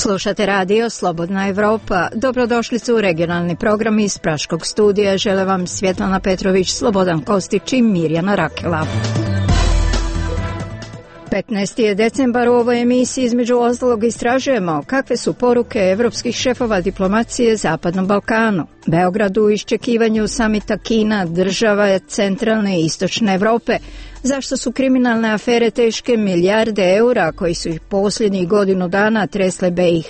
Slušate radio Slobodna Evropa. Dobrodošlicu u regionalni program iz Praškog studija. Žele vam Svjetlana Petrović, Slobodan Kostić i Mirjana Rakela. 15. je decembar, u ovoj emisiji između ostalog istražujemo kakve su poruke evropskih šefova diplomacije Zapadnom Balkanu. Beogradu u iščekivanju samita Kina, država centralne i istočne Evrope. Zašto su kriminalne afere teške milijarde eura koji su ih posljednjih godinu dana tresle BiH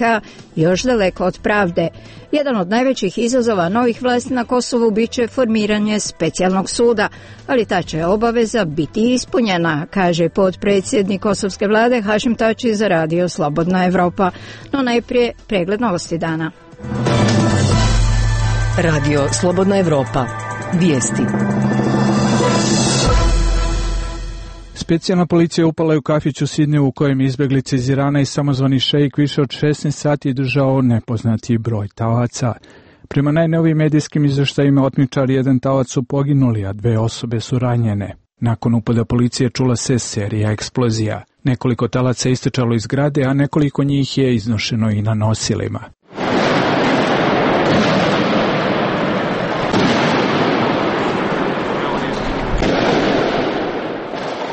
još daleko od pravde? Jedan od najvećih izazova novih vlasti na Kosovu biće formiranje specijalnog suda, ali ta će obaveza biti ispunjena, kaže potpredsjednik kosovske vlade Hašim Tači za radio Slobodna Evropa. No najprije pregled novosti dana. Radio Slobodna Evropa. Vijesti. Specijalna policija upala je u kafić u Sidneju u kojem izbjeglice iz Irana i samozvani šeik više od 16 sati držao nepoznati broj talaca. Prema najnovijim medijskim izvještajima otmičari jedan talac su poginuli, a 2 osobe su ranjene. Nakon upada policije čula se serija eksplozija. Nekoliko talaca je istrčalo iz zgrade, a nekoliko njih je iznošeno i na nosilima.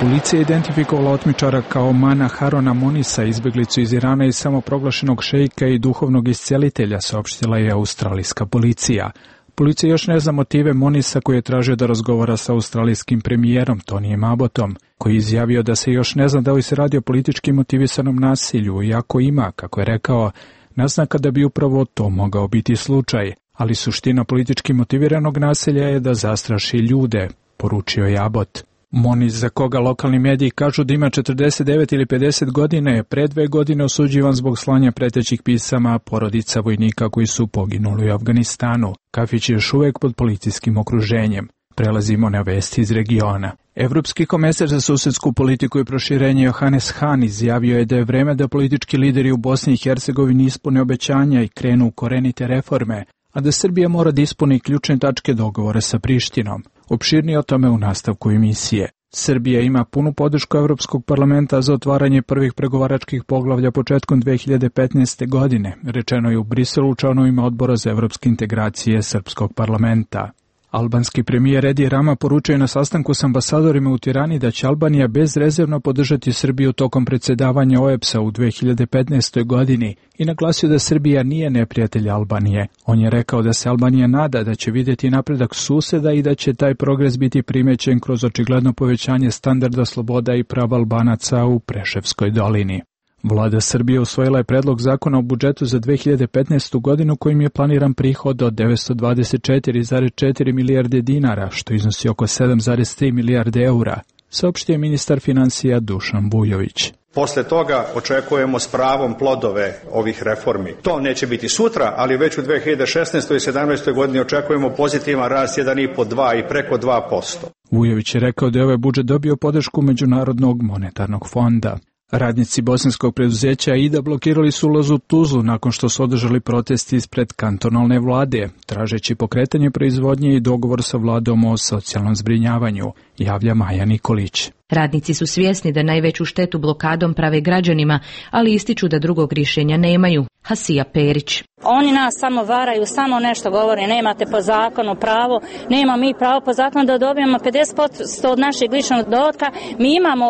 Policija je identifikovala otmičara kao Mana Harona Monisa, izbjeglicu iz Irana i samoproglašenog šeika i duhovnog iscelitelja, saopštila je australijska policija. Policija još ne zna motive Monisa, koji je tražio da razgovara sa australijskim premijerom Tonijem Abbotom, koji je izjavio da se još ne zna da li se radi o politički motivisanom nasilju, iako ima, kako je rekao, naznaka da bi upravo to mogao biti slučaj. Ali suština politički motiviranog nasilja je da zastraši ljude, poručio je Abbott. Monis, za koga lokalni mediji kažu da ima 49 ili 50 godina, je pre 2 godine osuđivan zbog slanja pretećih pisama porodica vojnika koji su poginuli u Afganistanu. Kafić je još uvijek pod policijskim okruženjem. Prelazimo na vesti iz regiona. Evropski komesar za susedsku politiku i proširenje Johannes Hahn izjavio je da je vreme da politički lideri u Bosni i Hercegovini ispune obećanja i krenu u korenite reforme, a da Srbija mora da ispuni ključne tačke dogovora sa Prištinom. Opširnije o tome u nastavku emisije. Srbija ima punu podršku Evropskog parlamenta za otvaranje prvih pregovaračkih poglavlja početkom 2015. godine, rečeno je u Briselu članovima odbora za evropske integracije Srpskog parlamenta. Albanski premijer Edi Rama poručuje na sastanku s ambasadorima u Tirani da će Albanija bezrezervno podržati Srbiju tokom predsjedavanja OEBS-a u 2015. godini i naglasio da Srbija nije neprijatelj Albanije. On je rekao da se Albanija nada da će vidjeti napredak suseda i da će taj progres biti primećen kroz očigledno povećanje standarda sloboda i prava Albanaca u Preševskoj dolini. Vlada Srbije usvojila je predlog zakona o budžetu za 2015. godinu kojim je planiran prihod od 924,4 milijarde dinara, što iznosi oko 7,3 milijarde eura, saopštio je ministar financija Dušan Vujović. Posle toga očekujemo s pravom plodove ovih reformi. To neće biti sutra, ali već u 2016. i 2017. godini očekujemo pozitivan rast 1,5, 2 i preko 2%. Vujović je rekao da je ovaj budžet dobio podršku Međunarodnog monetarnog fonda. Radnici bosanskog preduzeća AIDA blokirali su ulaz u Tuzlu nakon što su održali protesti ispred kantonalne vlade, tražeći pokretanje proizvodnje i dogovor sa vladom o socijalnom zbrinjavanju, javlja Maja Nikolić. Radnici su svjesni da najveću štetu blokadom prave građanima, ali ističu da drugog rješenja nemaju. Hasija Perić. Oni nas samo varaju, samo nešto govore, nemate po zakonu pravo, nema mi pravo po zakonu da dobijemo 50% od našeg ličnog dohotka, mi imamo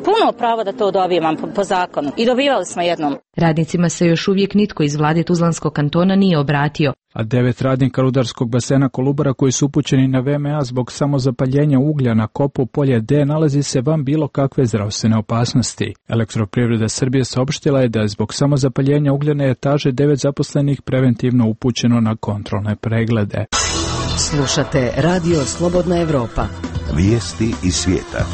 puno pravo da to dobijemo po zakonu i dobivali smo jednom. Radnicima se još uvijek nitko iz vlade Tuzlanskog kantona nije obratio. A 9 radnika rudarskog basena Kolubara koji su upućeni na VMA zbog samozapaljenja uglja na kopu polje D nalazi se van bilo kakve zdravstvene opasnosti. Elektroprivreda Srbije saopštila je da je zbog samozapaljenja ugljene etaže 9 zaposlenih preventivno upućeno na kontrolne preglede. Slušate Radio Slobodna Evropa. Vijesti iz svijeta.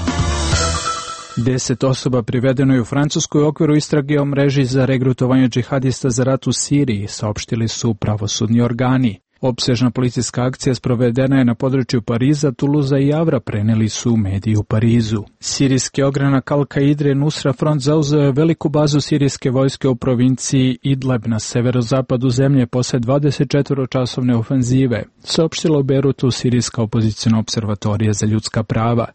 10 osoba privedeno je u Francuskoj u okviru istrage o mreži za regrutovanje džihadista za rat u Siriji, saopštili su pravosudni organi. Opsežna policijska akcija sprovedena je na području Pariza, Tuluza i Javra, preneli su mediji u Parizu. Sirijski ogranak Al-Kaidre Nusra Front zauzeo je veliku bazu sirijske vojske u provinciji Idleb na severozapadu zemlje posle 24-časovne ofenzive, saopštila u Berutu sirijska opozicijna observatorija za ljudska prava.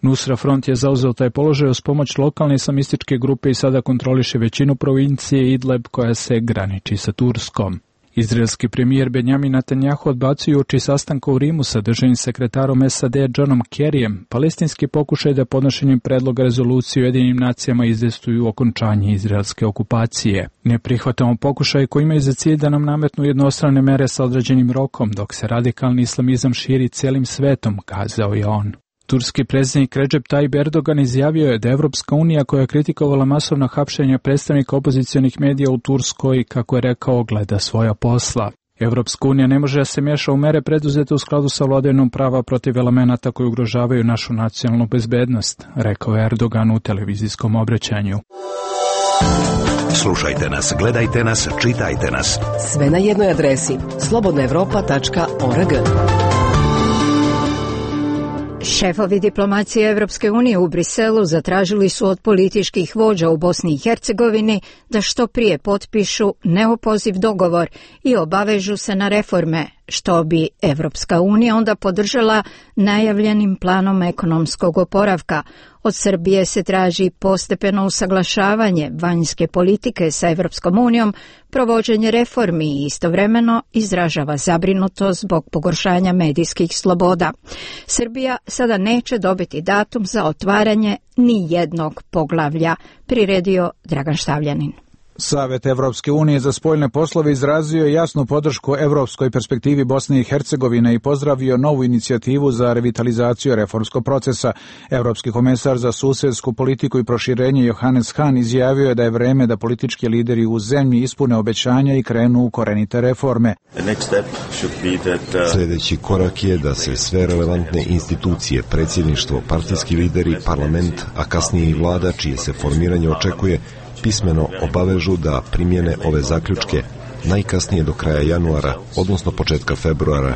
Nusra Front je zauzeo taj položaj uz pomoć lokalne islamističke grupe i sada kontroliše većinu provincije Idlib koja se graniči sa Turskom. Izraelski premijer Benjamin Netanjahu odbacio uoči sastanka u Rimu sa državnim sekretarom SAD Johnom Kerryjem palestinski pokušaj da podnošenjem predloga rezolucije u Ujedinjenim nacijama izvestuju okončanje izraelske okupacije. Ne prihvatamo pokušaj koji imaju za cilj da nam nametnu jednostrane mere sa određenim rokom, dok se radikalni islamizam širi celim svetom, kazao je on. Turski predsjednik Recep Tayyip Erdogan izjavio je da Evropska unija, koja je kritikovala masovna hapšenja predstavnika opozicionih medija u Turskoj, kako je rekao, gleda svoja posla. Evropska unija ne može da se miješa u mere preduzete u skladu sa vladavinom prava protiv elemenata koji ugrožavaju našu nacionalnu bezbednost, rekao je Erdogan u televizijskom obraćanju. Slušajte nas, gledajte nas, čitajte nas. Sve na jednoj adresi slobodnaevropa.org. Šefovi diplomacije Evropske unije u Briselu zatražili su od političkih vođa u Bosni i Hercegovini da što prije potpišu neopoziv dogovor i obavežu se na reforme, što bi Evropska unija onda podržala najavljenim planom ekonomskog oporavka. Od Srbije se traži postepeno usaglašavanje vanjske politike sa Evropskom unijom, provođenje reformi i istovremeno izražava zabrinutost zbog pogoršanja medijskih sloboda. Srbija sada neće dobiti datum za otvaranje ni jednog poglavlja, priredio Dragan Štavljanin. Savet Evropske unije za spoljne poslove izrazio je jasnu podršku evropskoj perspektivi Bosne i Hercegovine i pozdravio novu inicijativu za revitalizaciju reformskog procesa. Evropski komesar za susedsku politiku i proširenje Johannes Hahn izjavio je da je vreme da politički lideri u zemlji ispune obećanja i krenu u korenite reforme. Sljedeći korak je da se sve relevantne institucije, predsjedništvo, partijski lideri, parlament, a kasnije i vlada, čije se formiranje očekuje, pismeno obavežu da primjene ove zaključke najkasnije do kraja januara, odnosno početka februara.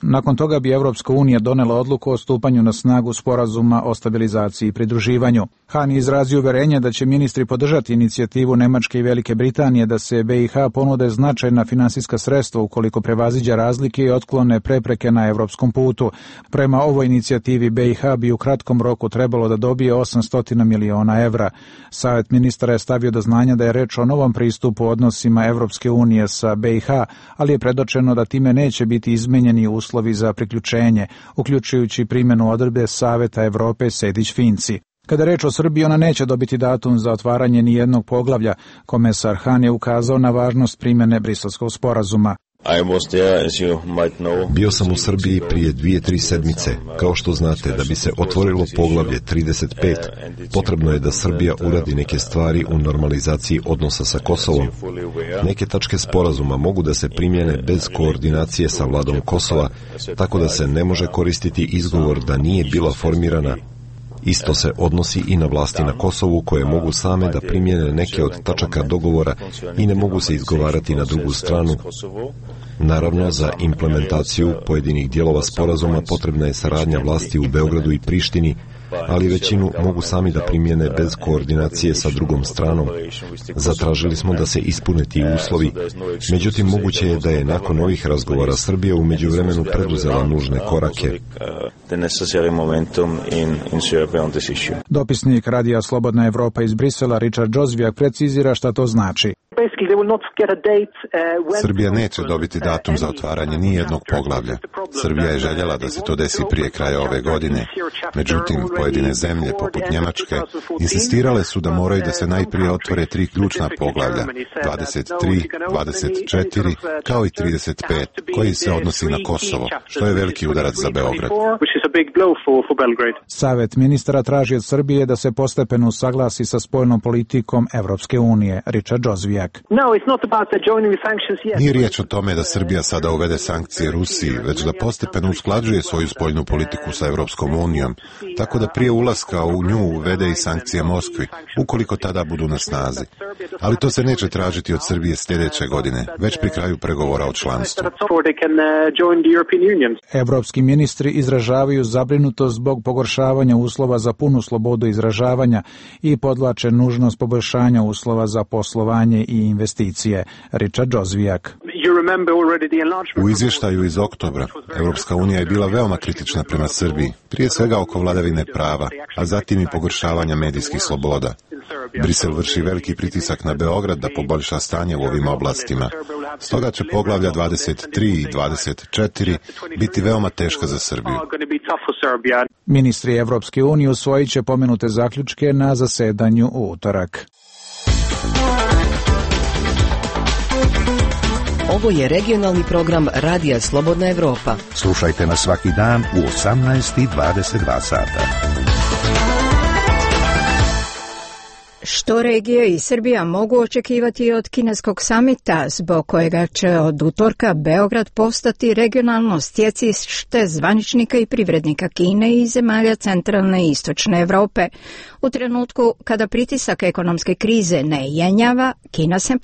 Nakon toga bi Evropska unija donela odluku o stupanju na snagu sporazuma o stabilizaciji i pridruživanju. Hahn je izrazio uverenje da će ministri podržati inicijativu Nemačke i Velike Britanije da se BiH ponude značajna finansijska sredstva ukoliko prevaziđa razlike i otklone prepreke na evropskom putu. Prema ovoj inicijativi BiH bi u kratkom roku trebalo da dobije 800 miliona evra. Savet ministara je stavio do znanja da je reč o novom pristupu odnosima Evropske unije sa BiH, ali je predočeno da time neće biti izmenjeni uslovi za priključenje, uključujući primjenu odredbe Saveta Evrope Sejdić-Finci. Kada je reč o Srbiji, ona neće dobiti datum za otvaranje ni jednog poglavlja. Komesar Hahn je ukazao na važnost primjene Briselskog sporazuma. Bio sam u Srbiji prije 2-3 sedmice. Kao što znate, da bi se otvorilo poglavlje 35, potrebno je da Srbija uradi neke stvari u normalizaciji odnosa sa Kosovom. Neke tačke sporazuma mogu da se primjene bez koordinacije sa vladom Kosova, tako da se ne može koristiti izgovor da nije bila formirana. Isto se odnosi i na vlasti na Kosovu, koje mogu same da primjene neke od tačaka dogovora i ne mogu se izgovarati na drugu stranu. Naravno, za implementaciju pojedinih dijelova sporazuma potrebna je saradnja vlasti u Beogradu i Prištini, ali većinu mogu sami da primjene bez koordinacije sa drugom stranom. Zatražili smo da se ispune ti uslovi, međutim moguće je da je nakon ovih razgovora Srbija u međuvremenu preduzela nužne korake. Dopisnik Radija Slobodna Evropa iz Brisela Richard Jozviak precizira šta to znači. Srbija neće dobiti datum za otvaranje ni jednog poglavlja. Srbija je željela da se to desi prije kraja ove godine. Međutim, pojedine zemlje, poput Njemačke, insistirale su da moraju da se najprije otvore 3 ključna poglavlja, 23, 24, kao i 35, koji se odnosi na Kosovo, što je veliki udarac za Beograd. Savet ministara traži od Srbije da se postepeno usaglasi sa spoljnom politikom Evropske unije. Richard Jozviak. Nije riječ o tome da Srbija sada uvede sankcije Rusiji, već da postepeno usklađuje svoju spoljnu politiku sa Evropskom unijom, tako da prije ulaska u nju uvede i sankcije Moskvi, ukoliko tada budu na snazi. Ali to se neće tražiti od Srbije sljedeće godine, već pri kraju pregovora o članstvu. Evropski ministri izražavaju zabrinutost zbog pogoršavanja uslova za punu slobodu izražavanja i podvlače nužnost poboljšanja uslova za poslovanje i investicije. Richard Jozviak. U izvještaju iz oktobra, Europska unija je bila veoma kritična prema Srbiji, prije svega oko vladavine prava, a zatim i pogoršavanja medijskih sloboda. Brisel vrši veliki pritisak na Beograd da poboljša stanje u ovim oblastima. Stoga će poglavlja 23 i 24 biti veoma teška za Srbiju. Ministri Evropske unije usvojit će pomenute zaključke na zasedanju u utorak. Ovo je regionalni program Radija Slobodna Evropa. Slušajte nas svaki dan u 18:22 sata. Što regija i Srbija mogu očekivati od kineskog samita, zbog kojega će od utorka Beograd postati regionalno stjecište zvaničnika i privrednika Kine i zemalja centralne i istočne Europe. U trenutku kada pritisak ekonomske krize ne jenjava, Kina se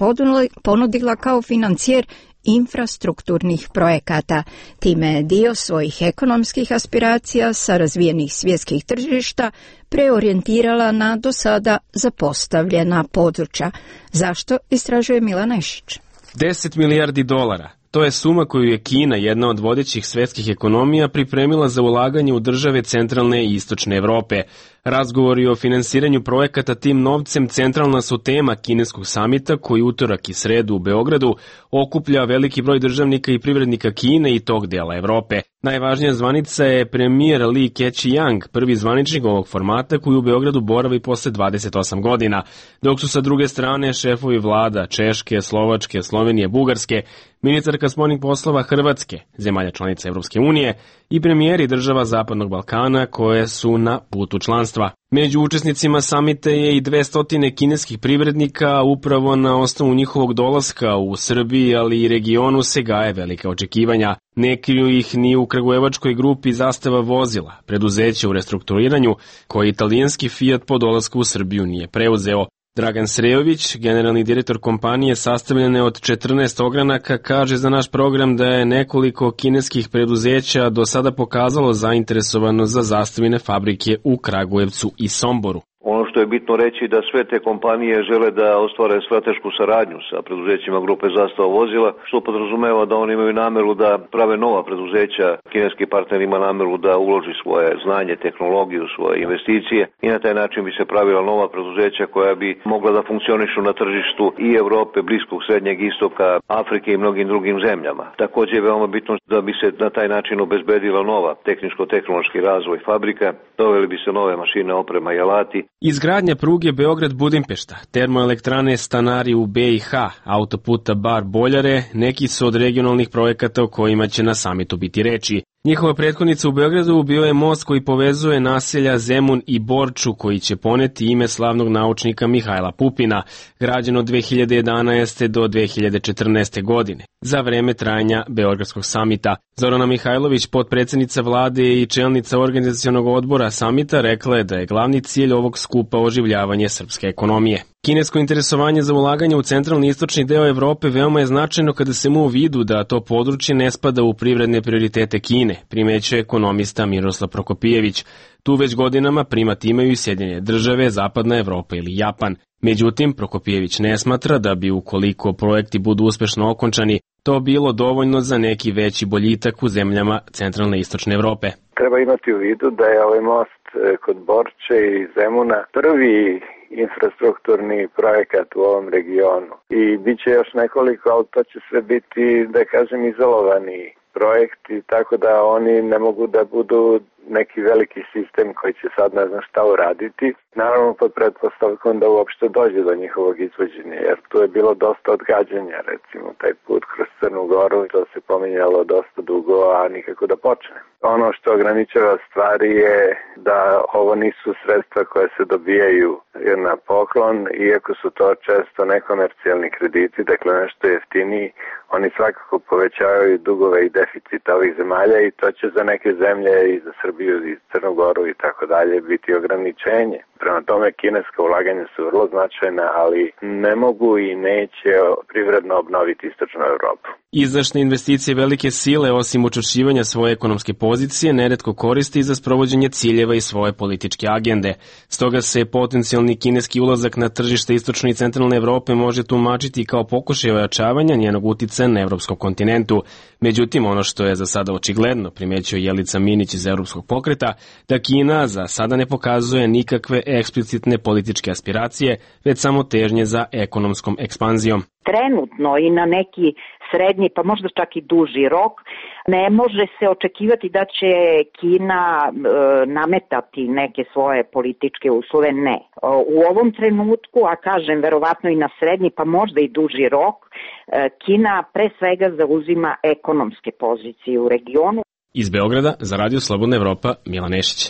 ponudila kao financijer infrastrukturnih projekata. Time je dio svojih ekonomskih aspiracija sa razvijenih svjetskih tržišta preorijentirala na do sada zapostavljena područja. Zašto, istražuje Milan Nešić. 10 milijardi dolara. To je suma koju je Kina, jedna od vodećih svjetskih ekonomija, pripremila za ulaganje u države centralne i istočne Europe. Razgovori o finansiranju projekata tim novcem centralna su tema kineskog samita koji utorak i sredu u Beogradu okuplja veliki broj državnika i privrednika Kine i tog dela Europe. Najvažnija zvanica je premijer Li Keqiang, prvi zvaničnik ovog formata koji u Beogradu boravi posle 28 godina, dok su sa druge strane šefovi vlada Češke, Slovačke, Slovenije, Bugarske, ministarka spoljnih poslova Hrvatske, zemalja članica Evropske unije i premijeri država Zapadnog Balkana koje su na putu članstva. Među učesnicima samita je i 200 kineskih privrednika, upravo na osnovu njihovog dolaska u Srbiji, ali i regionu se gaje velika očekivanja. Ne kriju ih ni u kragujevačkoj grupi Zastava vozila, preduzeće u restrukturiranju, koje italijanski Fiat po dolasku u Srbiju nije preuzeo. Dragan Srejović, generalni direktor kompanije sastavljene od 14 ogranaka, kaže za naš program da je nekoliko kineskih preduzeća do sada pokazalo zainteresovanost za zastavine fabrike u Kragujevcu i Somboru. Ono što je bitno reći da sve te kompanije žele da ostvare stratešku saradnju sa preduzećima grupe Zastava vozila, što podrazumeva da oni imaju nameru da prave nova preduzeća. Kineski partner ima nameru da uloži svoje znanje, tehnologiju, svoje investicije i na taj način bi se pravila nova preduzeća koja bi mogla da funkcionišu na tržištu i Evrope, Bliskog, Srednjeg istoka, Afrike i mnogim drugim zemljama. Također je veoma bitno da bi se na taj način obezbedila nova tehničko-tehnološki razvoj fabrika, doveli bi se nove mašine, oprema i alati. Izgradnja pruge Beograd-Budimpešta, termoelektrane Stanari u BiH, autoputa Bar-Boljare, neki su od regionalnih projekata o kojima će na samitu biti reči. Njihova prethodnica u Beogradu bio je most koji povezuje naselja Zemun i Borču, koji će poneti ime slavnog naučnika Mihajla Pupina, građen od 2011. do 2014. godine, za vreme trajanja Beogradskog samita. Zorana Mihajlović, potpredsjednica vlade i čelnica organizacionog odbora samita, rekla je da je glavni cilj ovog skupa oživljavanje srpske ekonomije. Kinesko interesovanje za ulaganje u centralni i istočni deo Evrope veoma je značajno kada se mu u vidu da to područje ne spada u privredne prioritete Kine, primećuje ekonomista Miroslav Prokopijević. Tu već godinama primat imaju i Sjedinjene države, Zapadna Evropa ili Japan. Međutim, Prokopijević ne smatra da bi ukoliko projekti budu uspešno okončani, to bilo dovoljno za neki veći boljitak u zemljama centralne i istočne Evrope. Treba imati u vidu da je ovaj most kod Borče i Zemuna prvi infrastrukturni projekat u ovom regionu. I bit će još nekoliko, ali to će sve biti, da kažem, izolovani projekti, tako da oni ne mogu da budu neki veliki sistem koji će sad ne znam šta uraditi. Naravno pod pretpostavkom da uopšte dođe do njihovog izvođenja, jer tu je bilo dosta odgađanja, recimo taj put kroz Crnu Goru, to se pominjalo dosta dugo, a nikako da počne. Ono što ograničava stvari je da ovo nisu sredstva koje se dobijaju na poklon, iako su to često nekomercijalni krediti, dakle nešto jeftiniji, oni svakako povećavaju dugove i deficit ovih zemalja i to će za neke zemlje i za Srbiju i Crnu Goru i tako dalje biti ograničenje. Prema tome kineska ulaganja su vrlo značajna, ali ne mogu i neće privredno obnoviti istočnu Evropu. Izdašne investicije velike sile, osim učvršćivanja svoje ekonomske pozicije, neretko koristi za sprovođenje ciljeva i svoje političke agende. Stoga se potencijalni kineski ulazak na tržište istočne i centralne Evrope može tumačiti kao pokušaj ojačavanja njenog uticaja na evropskom kontinentu. Međutim, ono što je za sada očigledno, primećuje Jelica Minić iz Evropskog pokreta, da Kina za sada ne pokazuje nikakve eksplicitne političke aspiracije, već samo težnje za ekonomskom ekspanzijom. Trenutno i na neki srednji, pa možda čak i duži rok, ne može se očekivati da će Kina nametati neke svoje političke uslove, ne. U ovom trenutku, a kažem verovatno i na srednji, pa možda i duži rok, Kina pre svega zauzima ekonomske pozicije u regionu. Iz Beograda za Radio Slobodna Evropa, Milan Nešić.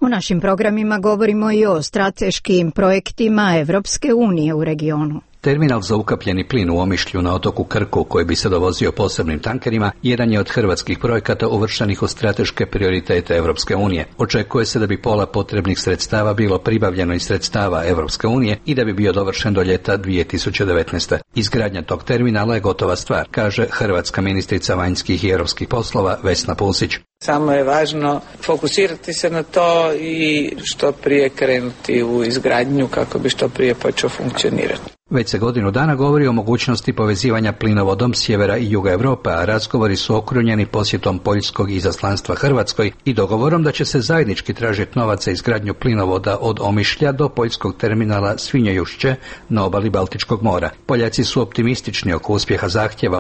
U našim programima govorimo i o strateškim projektima Evropske unije u regionu. Terminal za ukapljeni plin u Omišlju na otoku Krku, koji bi se dovozio posebnim tankerima, jedan je od hrvatskih projekata uvrštenih u strateške prioritete Evropske unije. Očekuje se da bi pola potrebnih sredstava bilo pribavljeno iz sredstava Evropske unije i da bi bio dovršen do ljeta 2019. Izgradnja tog terminala je gotova stvar, kaže hrvatska ministrica vanjskih i europskih poslova Vesna Pusić. Samo je važno fokusirati se na to i što prije krenuti u izgradnju kako bi što prije počeo funkcionirati. Već se godinu dana govori o mogućnosti povezivanja plinovodom sjevera i juga Europe, a razgovori su okrunjeni posjetom poljskog izaslanstva Hrvatskoj i dogovorom da će se zajednički tražiti novac za izgradnju plinovoda od Omišlja do poljskog terminala Svinjojušće na obali Baltičkog mora. Poljaci su optimistični oko uspjeha zahtjeva.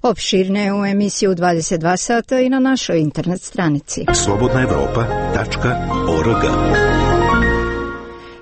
Opširne u emisiju 22 sata i na našoj internet stranici. slobodnaevropa.org.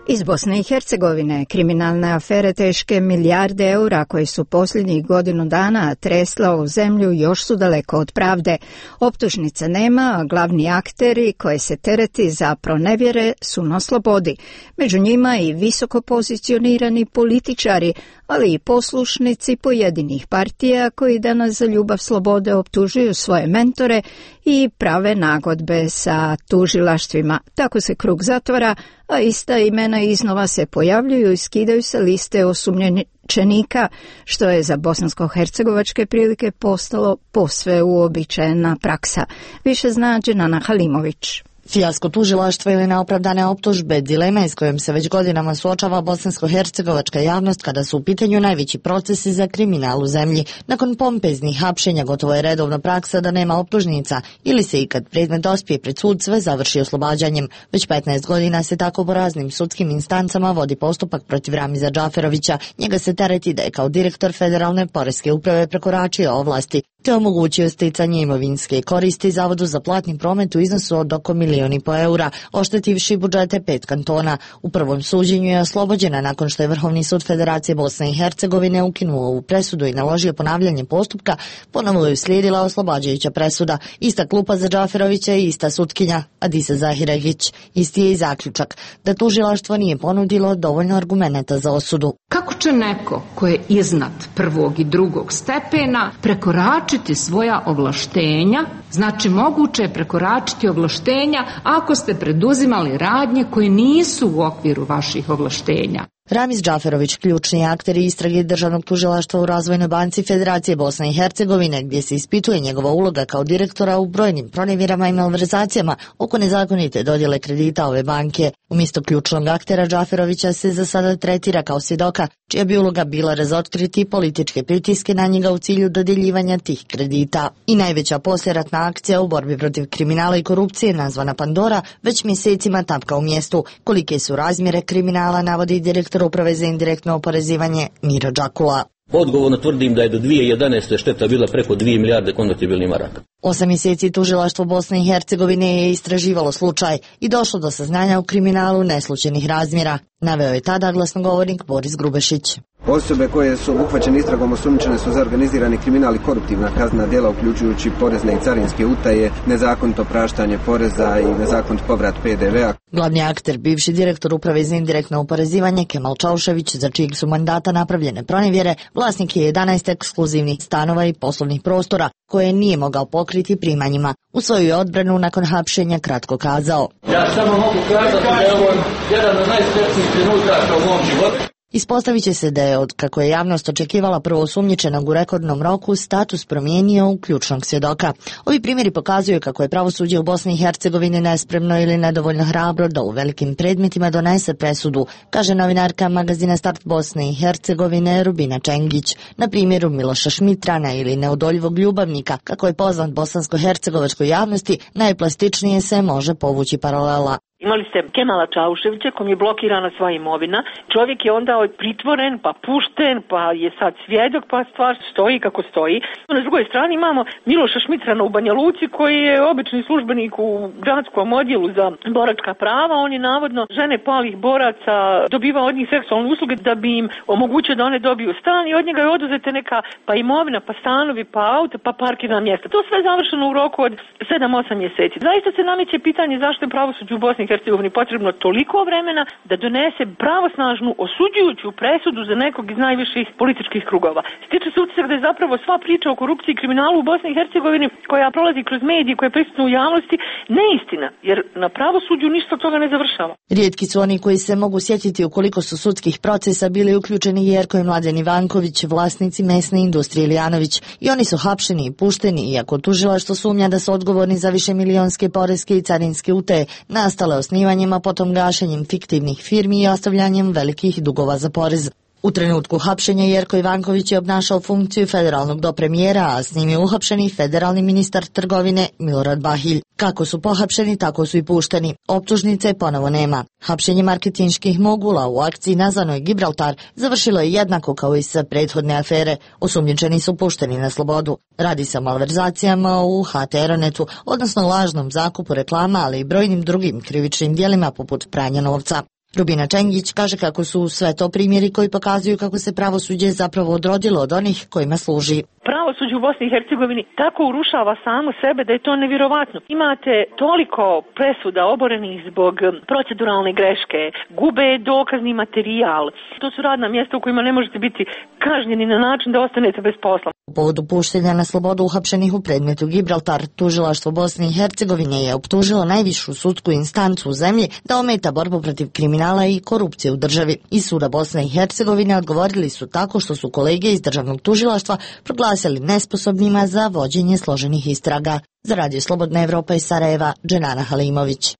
Iz Bosne i Hercegovine kriminalne afere teške milijarde eura koje su posljednjih godinu dana tresla ovu zemlju još su daleko od pravde. Optužnica nema, a glavni akteri koje se tereti za pronevjere su na slobodi. Među njima i visoko pozicionirani političari, ali i poslušnici pojedinih partija koji danas za ljubav slobode optužuju svoje mentore i prave nagodbe sa tužilaštvima. Tako se krug zatvara, a ista imena iznova se pojavljuju i skidaju sa liste osumnjičenika, što je za bosansko-hercegovačke prilike postalo posve uobičajena praksa. Više zna Dženana Halimović. Fijasko tužilaštva ili neopravdane optužbe, dileme s kojom se već godinama suočava bosansko-hercegovačka javnost kada su u pitanju najveći procesi za kriminal u zemlji. Nakon pompeznih hapšenja gotovo je redovna praksa da nema optužnica ili se i kad predmet dospije pred sud sve završi oslobađanjem. Već 15 godina se tako po raznim sudskim instancama vodi postupak protiv Ramiza Džaferovića. Njega se tereti da je kao direktor Federalne poreske uprave prekoračio ovlasti te omogućio sticanje imovinske koristi Zavodu za platni promet u iznosu od oko 1,5 miliona eura, oštetivši budžete 5 kantona. U prvom suđenju je oslobođena nakon što je Vrhovni sud Federacije Bosne i Hercegovine ukinuo ovu presudu i naložio ponavljanje postupka. Ponovo je uslijedila oslobađajuća presuda. Ista klupa za Džaferovića i ista sutkinja Adisa Zahiregić. Isti je i zaključak da tužilaštvo nije ponudilo dovoljno argumenata za osudu. Kako će neko ko je iznad prvog i drugog stepena prekoračiti svoja ovlaštenja? Znači, moguće je prekoračiti ovlaštenja ako ste preduzimali radnje koje nisu u okviru vaših ovlaštenja. Ramiz Džaferović, ključni akteri istrage Državnog tužilaštva u Razvojnoj banci Federacije Bosne i Hercegovine, gdje se ispituje njegova uloga kao direktora u brojnim pronevjerama i malverzacijama oko nezakonite dodjele kredita ove banke. Umjesto ključnog aktera Džaferovića se za sada tretira kao svjedoka, čija bi uloga bila razotkriti političke pritiske na njega u cilju dodjeljivanja tih kredita. I najveća poslijeratna akcija u borbi protiv kriminala i korupcije, nazvana Pandora, već mjesecima tapka u mjestu. Kolike su razmjere kriminala, navodi direktor Uprave za indirektno oporezivanje Miro Đakula. Odgovorno tvrdim da je do 2011. šteta bila preko 2 milijarde konvertibilnih maraka. 8 mjeseci tužilaštvo Bosne i Hercegovine je istraživalo slučaj i došlo do saznanja u kriminalu neslučajnih razmjera, naveo je tada glasnogovornik Boris Grubešić. Osobe koje su obuhvaćene istragom osumnjičene su za organizirani kriminal i koruptivna kaznena djela, uključujući porezne i carinske utaje, nezakonito praštanje poreza i nezakonit povrat PDV-a. Glavni akter, bivši direktor Uprave za indirektno oporezivanje Kemal Čaušević, za čijeg su mandata napravljene pronevjere, vlasnik je 11 ekskluzivnih stanova i poslovnih prostora koje nije mogao pokriti primanjima. U svoju odbranu nakon hapšenja kratko kazao: Ja samo mogu kazati da je ovo jedan od najsretnijih trenutaka u mom životu. Ispostavit će se da je, od kako je javnost očekivala prvoosumnjičenog u rekordnom roku, status promijenio u ključnog svjedoka. Ovi primjeri pokazuju kako je pravosuđe u Bosni i Hercegovini nespremno ili nedovoljno hrabro da u velikim predmetima donese presudu, kaže novinarka magazina Start Bosne i Hercegovine Rubina Čengić. Na primjeru Miloša Šmitrana ili Neodoljivog ljubavnika, kako je poznat bosansko-hercegovačkoj javnosti, najplastičnije se može povući paralela. Imali ste Kemala Čauševića kom je blokirana sva imovina. Čovjek je onda pritvoren, pa pušten, pa je sad svjedok, pa stvar stoji kako stoji. Na drugoj strani imamo Miloša Šmitrana u Banja Luci koji je obični službenik u gradskom odjelu za boračka prava. On je navodno žene palih boraca dobivao od njih seksualne usluge da bi im omogućio da one dobiju stan i od njega je oduzete neka pa imovina, pa stanovi, pa auto, pa parkirna mjesta. To sve završeno u roku od 7-8 mjeseci. Zaista se nameće pitanje zašto je pravosuđe u Bosni i Hercegovini potrebno toliko vremena da donese pravosnažnu osuđujuću presudu za nekog iz najviših političkih krugova. Stiče se utisak da je zapravo sva priča o korupciji i kriminalu u Bosni i Hercegovini koja prolazi kroz medije, koja je prisutna u javnosti, neistina, jer na pravosuđu ništa od toga ne završava. Rijetki su oni koji se mogu sjetiti u koliko su sudskih procesa bili uključeni Jerko i Mladen Ivanković, vlasnici mesne industrije Ilijanović, i oni su hapšeni i pušteni, iako tužilaštvo sumnja da su odgovorni za višemilionske poreske i carinske utaje nastale osnivanjem, a potom gašenjem fiktivnih firmi i ostavljanjem velikih dugova za porez. U trenutku hapšenja Jerko Ivanković je obnašao funkciju federalnog dopremijera, a s njim je uhapšeni federalni ministar trgovine Milorad Bahilj. Kako su pohapšeni, tako su i pušteni. Optužnice ponovo nema. Hapšenje marketinških mogula u akciji nazvanoj Gibraltar završilo je jednako kao i sa prethodne afere. Osumnjičeni su pušteni na slobodu. Radi se o malverzacijama u HT Aeronetu, odnosno lažnom zakupu reklama, ali i brojnim drugim krivičnim djelima poput pranja novca. Rubina Čengić kaže kako su sve to primjeri koji pokazuju kako se pravosuđe zapravo odrodilo od onih kojima služi. Pravosuđe u Bosni i Hercegovini tako urušava samo sebe da je to nevjerovatno. Imate toliko presuda oborenih zbog proceduralne greške, gube dokazni materijal. To su radna mjesta u kojima ne možete biti kažnjeni na način da ostanete bez posla. U povodu puštenja na slobodu uhapšenih u predmetu Gibraltar, tužilaštvo Bosne i Hercegovine je optužilo najvišu sudsku instancu u zemlji da ometa borbu protiv kriminala i korupcije u državi. Iz suda Bosne i Hercegovine odgovorili su tako što su kolege iz državnog tužilaštva proglasili nesposobnima za vođenje složenih istraga. Za Radio Slobodna Evropa iz Sarajeva, Dženana Halimović.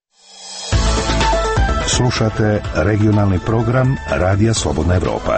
Slušate regionalni program Radija Slobodna Evropa.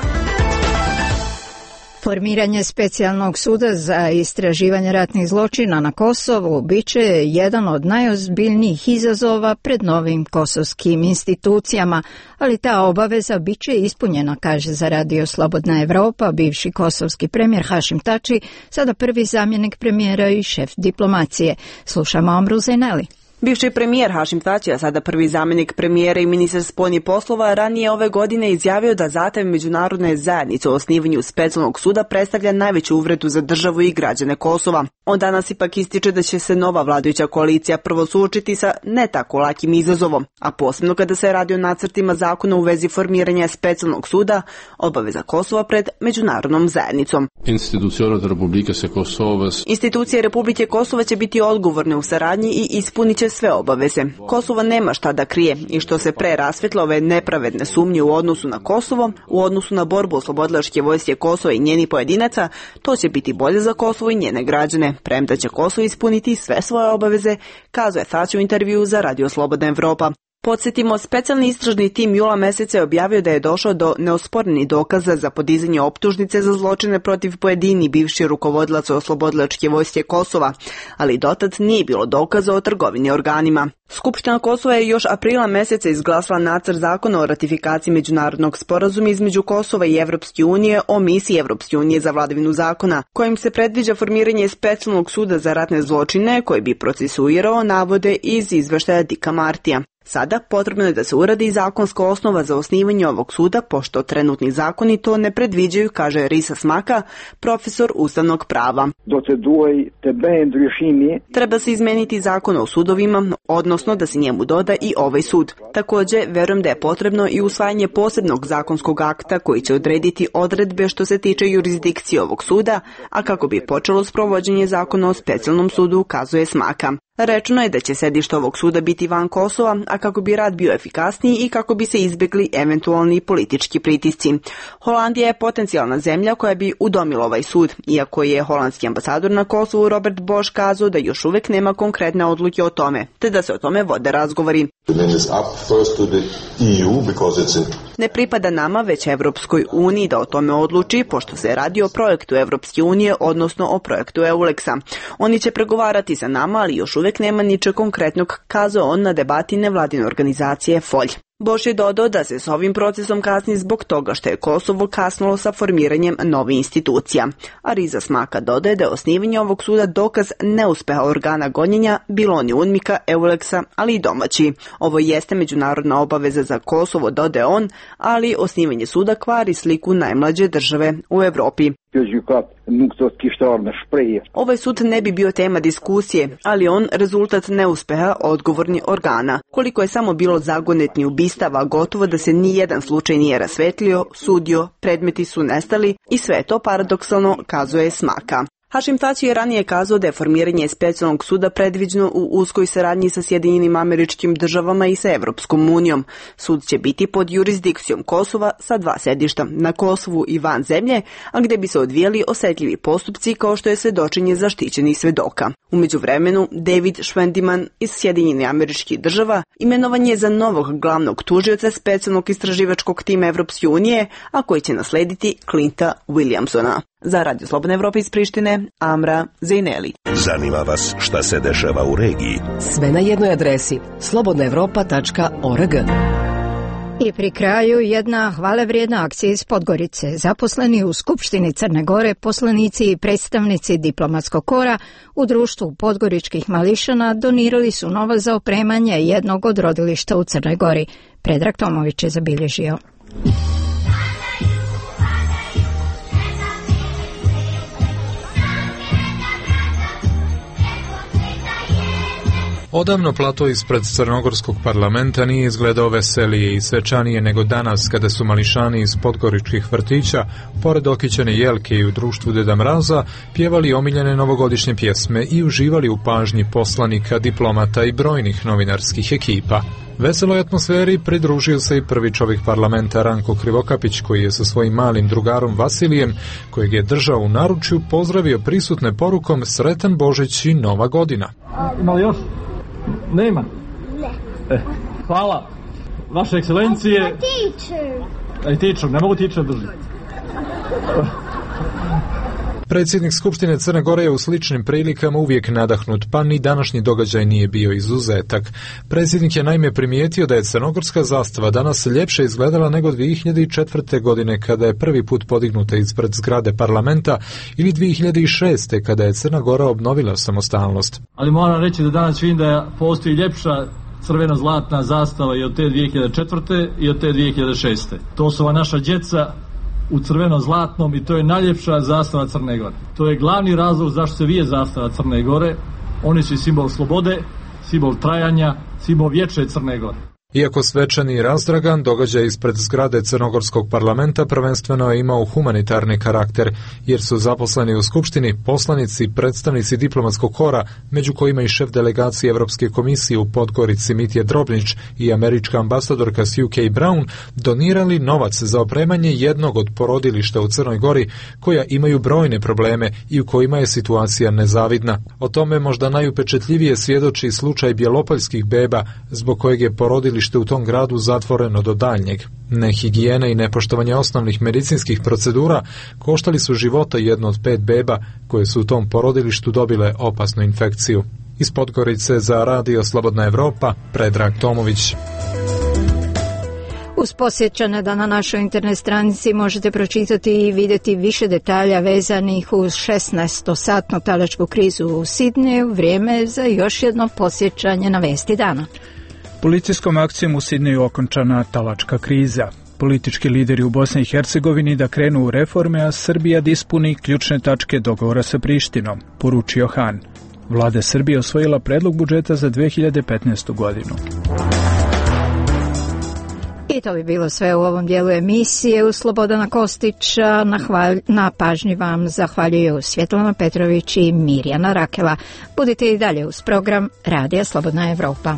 Formiranje specijalnog suda za istraživanje ratnih zločina na Kosovu biće jedan od najozbiljnijih izazova pred novim kosovskim institucijama, ali ta obaveza biće ispunjena, kaže za Radio Slobodna Evropa bivši kosovski premijer Hašim Tači, sada prvi zamjenik premijera i šef diplomacije. Slušamo Amru Zeneli. Bivši premijer Hašim Tači, a sada prvi zamjenik premijera i ministar spoljnih poslova, ranije ove godine izjavio da zahtev međunarodne zajednice o osnivanju specijalnog suda predstavlja najveću uvredu za državu i građane Kosova. On danas ipak ističe da će se nova vladajuća koalicija prvo suočiti sa ne tako lakim izazovom, a posebno kada se radi o nacrtima zakona u vezi formiranja specijalnog suda, obaveza Kosova pred međunarodnom zajednicom. Institucije Republike Kosova će biti odgovorne u saradnji i ispunit će sve obaveze. Kosovo nema šta da krije i što se pre rasvetlo ove nepravedne sumnje u odnosu na Kosovo, u odnosu na borbu oslobodilačke vojske Kosova i njenih pojedinaca, to će biti bolje za Kosovo i njene građane, premda će Kosovo ispuniti sve svoje obaveze, kazuje Tači u intervju za Radio Slobodna Evropa. Podsjetimo, specijalni istražni tim jula meseca je objavio da je došao do neosporenih dokaza za podizanje optužnice za zločine protiv pojedini bivši rukovodilaca oslobodilačke vojske Kosova, ali dotad nije bilo dokaza o trgovini organima. Skupština Kosova je još aprila meseca izglasala nacrt zakona o ratifikaciji međunarodnog sporazuma između Kosova i Evropske unije o misiji Evropske unije za vladavinu zakona, kojim se predviđa formiranje specijalnog suda za ratne zločine koji bi procesuirao navode iz izveštaja Dika Martija. Sada potrebno je da se uradi zakonska osnova za osnivanje ovog suda, pošto trenutni zakoni to ne predviđaju, kaže Risa Smaka, profesor ustavnog prava. Treba se izmeniti zakon o sudovima, odnosno da se njemu doda i ovaj sud. Također, verujem da je potrebno i usvajanje posebnog zakonskog akta koji će odrediti odredbe što se tiče jurisdikcije ovog suda, a kako bi počelo sprovođenje zakona o specijalnom sudu, kazuje Smaka. Rečeno je da će sedište ovog suda biti van Kosova, a kako bi rad bio efikasniji i kako bi se izbjegli eventualni politički pritisci. Holandija je potencijalna zemlja koja bi udomila ovaj sud, iako je holandski ambasador na Kosovu Robert Bosch kazao da još uvijek nema konkretne odluke o tome, te da se o tome vode razgovori. Ne pripada nama, već Evropskoj uniji da o tome odluči, pošto se radi o projektu Evropske unije, odnosno o projektu EULEX-a. Oni će pregovarati sa nama, ali još uvijek nema ničeg konkretnog, kazao on na debati nevladine organizacije FOLJ. Bosch je dodao da se s ovim procesom kasni zbog toga što je Kosovo kasnilo sa formiranjem novih institucija. A Riza Smaka dodaje da je osnivanje ovog suda dokaz neuspeha organa gonjenja, bilo oni UNMIK-a, EULEX-a, ali i domaći. Ovo jeste međunarodna obaveza za Kosovo, dodaje on, ali osnivanje suda kvari sliku najmlađe države u Evropi. Ovaj sud ne bi bio tema diskusije, ali on rezultat neuspeha odgovorni organa. Koliko je samo bilo zagonetni ubistava, gotovo da se ni jedan slučaj nije rasvetlio, sudio, predmeti su nestali i sve to paradoksalno, kazuje Smaka. Hašim Tači je ranije kazao da je formiranje specijalnog suda predviđeno u uskoj saradnji sa Sjedinjenim Američkim Državama i sa Evropskom unijom. Sud će biti pod jurisdikcijom Kosova sa 2 sedišta, na Kosovu i van zemlje, a gdje bi se odvijali osjetljivi postupci kao što je svedočenje zaštićenih svedoka. U međuvremenu, David Schwendiman iz Sjedinjenih Američkih Država imenovan je za novog glavnog tužioca specijalnog istraživačkog tima Evropske unije, a koji će naslediti Clinta Williamsona. Za Radio Slobodne Evrope iz Prištine, Amra Zejneli. Zanima vas šta se dešava u regiji? Sve na jednoj adresi slobodnaevropa.org. I pri kraju jedna hvalevrijedna akcija iz Podgorice. Zaposleni u Skupštini Crne Gore, poslanici i predstavnici diplomatskog kora u društvu podgoričkih mališana donirali su novac za opremanje jednog od rodilišta u Crnoj Gori. Predrag Tomović je zabilježio. Odavno plato ispred crnogorskog parlamenta nije izgledao veselije i svečanije nego danas kada su mališani iz podgoričkih vrtića, pored okićene jelke i u društvu Deda Mraza, pjevali omiljene novogodišnje pjesme i uživali u pažnji poslanika, diplomata i brojnih novinarskih ekipa. Veseloj atmosferi pridružio se i prvi čovjek parlamenta Ranko Krivokapić, koji je sa svojim malim drugarom Vasilijem, kojeg je držao u naručju, pozdravio prisutne porukom Sretan Božić i Nova godina. Ima li još? Nema? Ne. Hvala. Vaše ekscelencije... Teacher, ne mogu teacher držati. Predsjednik Skupštine Crne Gore je u sličnim prilikama uvijek nadahnut, pa ni današnji događaj nije bio izuzetak. Predsjednik je naime primijetio da je crnogorska zastava danas ljepše izgledala nego 2004. godine kada je prvi put podignuta ispred zgrade parlamenta ili 2006. kada je Crna Gora obnovila samostalnost. Ali moram reći da danas vidim da postoji ljepša crveno-zlatna zastava i od te 2004. i od te 2006. To su ova naša djeca u crveno-zlatnom i to je najljepša zastava Crne Gore. To je glavni razlog zašto se vije zastava Crne Gore. Oni su simbol slobode, simbol trajanja, simbol vječne Crne Gore. Iako svečani i razdragan, događaj ispred zgrade crnogorskog parlamenta prvenstveno je imao humanitarni karakter, jer su zaposleni u Skupštini poslanici, predstavnici diplomatskog kora, među kojima i šef delegacije Evropske komisije u Podgorici Mitje Drobnić i američka ambasadorka Sue K. Brown donirali novac za opremanje jednog od porodilišta u Crnoj Gori, koja imaju brojne probleme i u kojima je situacija nezavidna. O tome možda najupečetljivije svjedoči slučaj bjelopoljskih beba, zbog kojeg je porodilište u tom gradu zatvoreno do daljnjeg. Nehigijene i nepoštovanje osnovnih medicinskih procedura koštali su života jedno od 5 beba koje su u tom porodilištu dobile opasnu infekciju. Iz Podgorice za Radio Slobodna Evropa, Predrag Tomović. Uz posjećane da na našoj internet stranici možete pročitati i vidjeti više detalja vezanih uz 16-satnu talačku krizu u Sidneju, vrijeme za još jedno posjećanje na vesti dana. Policijskom akcijom u Sidneju okončana talačka kriza. Politički lideri u Bosni i Hercegovini da krenu u reforme, a Srbija da ispuni ključne tačke dogovora sa Prištinom, poručio Han. Vlada Srbije osvojila predlog budžeta za 2015. godinu. I to bi bilo sve u ovom dijelu emisije. U Slobodana Kostića na pažnji vam zahvaljuju Svjetlana Petrović i Mirjana Rakela. Budite i dalje uz program Radija Slobodna Evropa.